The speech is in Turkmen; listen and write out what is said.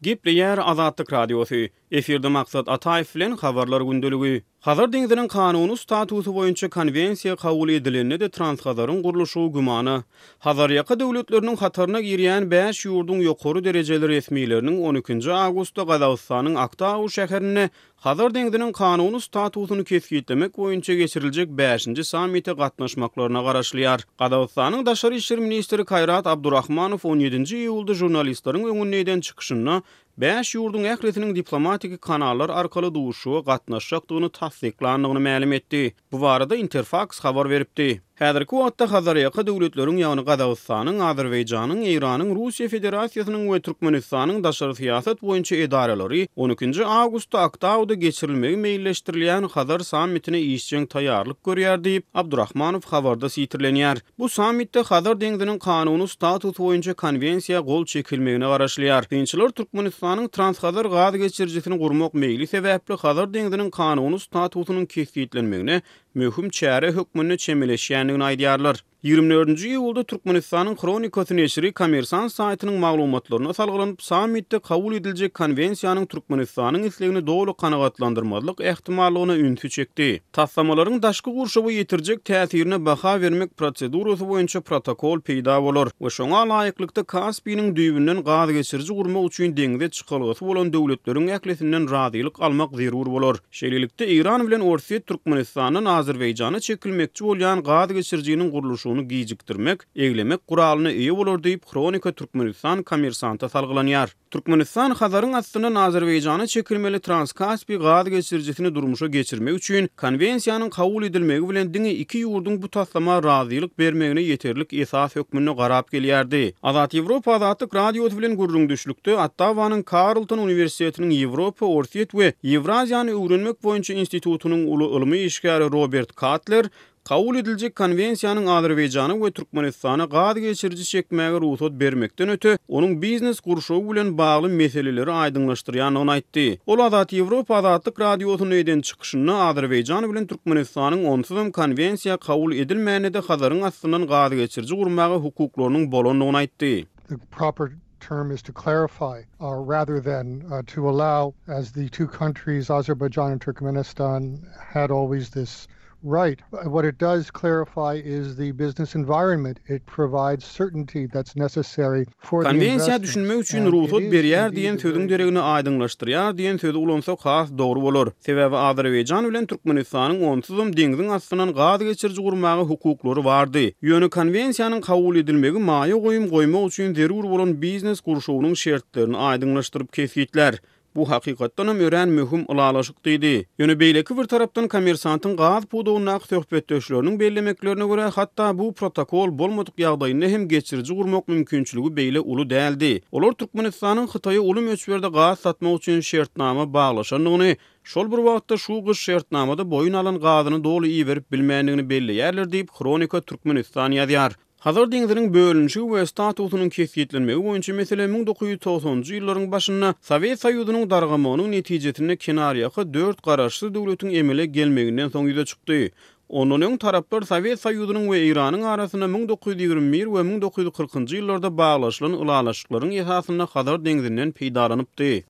Gepleýär Azatlyk Radiosy. Efirde Maksat Ataýew bilen Habarlar gündeligi. Hazar deňziniň kanuny statusy boýunça konwensiýa kabul edilende-de Transhazaryň gurluşygy gümana. Hazarýaka döwletleriniň hataryna girýän bäş ýurduň ýokary derejeli resmileriniň on ikinji awgustda Gazagystanyň Aktau şäherinde Hazar deňziniň kanuny statusyny kesgitlemek boýunça geçiriljek bäşinji sammite gatnaşmaklaryna garaşylýar. Gazagystanyň daşary işler ministri Kaýrat Abdurahmanow on ýedinji iýulda žurnalistleriň öňünde eden çykyşynda bäş ýurduň ählisiniň diplomatiki kanallar arkaly duşuşyga gatnaşjakdygyny tassyklandygyny mälim etdi. Bu barada Interfaks habar beripdi. Häzirki wagtda Hazarýaka döwletleriň, ýagny Gazagystanyň, Azerbaýjanyň, Eýranyň, Russiýa Federasiýasynyň we Türkmenistanyň daşary syýasat boýunça edaralary on ikinji awgustda Aktauda geçirilmegi meýilleşdirilýän Hazar sammitine işjeň taýýarlyk görýär diýip, Abdurahmanow habarda sitirlenýär. Bu sammitde Hazar deňziniň kanuny statusy boýunça konwensiýa gol çekilmegine garaşylýar. Synçylar Türkmenistanyň Transhazar gaz geçirijisini gurmak meýli sebäpli Hazar deňziniň kanuny statusynyň kesgitlenmegine möhüm çäre hökmünde çemeleşýändigini aýdýarlar. Ýigrimi dördünji iýulda Türkmenistanyň Hronikasy neşiri Kommersant saýtynyň maglumatlaryna salgylanyp, sammitde kabul ediljek konwensiýanyň Türkmenistanyň islegini doly kanagatlandyrmazlyk ähtimallygyna ünsi çekdi. Taslamalaryň daşky gurşawa ýetirjek täsirine baha bermek prosedurasy boýunça protokol peýda bolar we şoňa laýyklykda Kaspiniň düýbünden gaz geçiriji gurmak üçin deňze çykalgasy bolan döwletleriň ählisinden razylyk almak zerur bolar. Şeýlelikde, Eýran bilen Orsýet Türkmenistandan Azerbaýjana çekilmekçi bolýan gaz geçirijiniň gurluşygyny gijikdirmek, eglemek guralyna eýe bolar diýip, Hronika Türkmenistan Kommersanta salgylanýar. Türkmenistan Hazaryň astyndan Azerbaýjana çekilmeli Transkaspi gaz geçirijisini durmuşa geçirmek üçin Konwensiýanyň kabul edilmegi bilen diňe iki ýurduň bu taslama razylyk bermegine ýeterlik esas hökmünde garap gelýärdi. Azat Ýewropa Azatlyk Radiosy bilen gürrüňdeşlikde Ottawanyň Karlton uniwersitetiniň Ýewropa, Orsýet we Ýewraziýany öwrenmek boýunça institutynyň uly ylmy işgäri Robert Katler Kabul ediljek Konwensiýanyň Azerbaýjana we Türkmenistana gaz geçiriji çekmäge rugsat bermekden öte, onuň biznes gurşawy bilen bagly meseleleri aýdyňlaşdyrýandygyny aýtdy. Ol Azat Ýewropa Azatlyk Radiosynda eden çykyşynda Azerbaýjan bilen Türkmenistanyň onsuzam Konwensiýa kabul edilmände-de Hazaryň astyndan gaz geçiriji gurmaga hukuklarynyň bolandygyny aýtdy. The proper term is to clarify rather than to allow as the two countries Azerbaijan and Turkmenistan had always this right. What it does clarify is the business environment. It provides certainty that's necessary for the Konwensiýa düşünmek investments üçin and it rugsat is berýär indeed diýen a sözüň very deregine aýdyňlaşdyrýar diýen sözi ulansak has dogry bolar. Sebäbi Azerbaýjan bilen Türkmenistanyň onsuzam deňziň astyndan gaz geçiriji gurmaga hukuklary bardy. Ýöne konwensiýanyň kabul edilmegi maýa goýum goýmak üçin zerur bolan biznes gurşawynyň şertlerini aýdyňlaşdyryp kesgitlär. Bu hakykatdanam örän möhüm ylalaşyk diýdi. Ýöne beýleki bir tarapdan Kommersantyň gaz pudagyndaky söhbetdeşleriniň bellemeklerine görä, hatda bu protokol bolmadyk ýagdaýynda hem geçiriji gurmak mümkinçiligi beýle uly däldi. Olar Türkmenistanyň Hytaýa uly möçberde gaz satmak üçin şertnama baglaşandygyny, şol bir wagtda şu gyş şertnamada boýun alan gazyny doly iberip bilmändigini belleýärler diýip, Hronika Türkmenistan ýazýar. Hazar deňziniň bölünişigi we statusynyň kesgitlenmegi boýunça mesele 1990-njy ýyllaryň başynda Sowet Soýuzynyň dargamagynyň netijesinde kenarýaka dört garaşsyz döwletiň emele gelmeginden soň ýüze çykdy. Ondan öň taraplar Sowet Soýuzynyň we Eýranyň arasynda 1921 we 1940-njy ýyllarda baglaşylan ylalaşyklaryň esasynda Hazar deňzinden peýdalanypdy.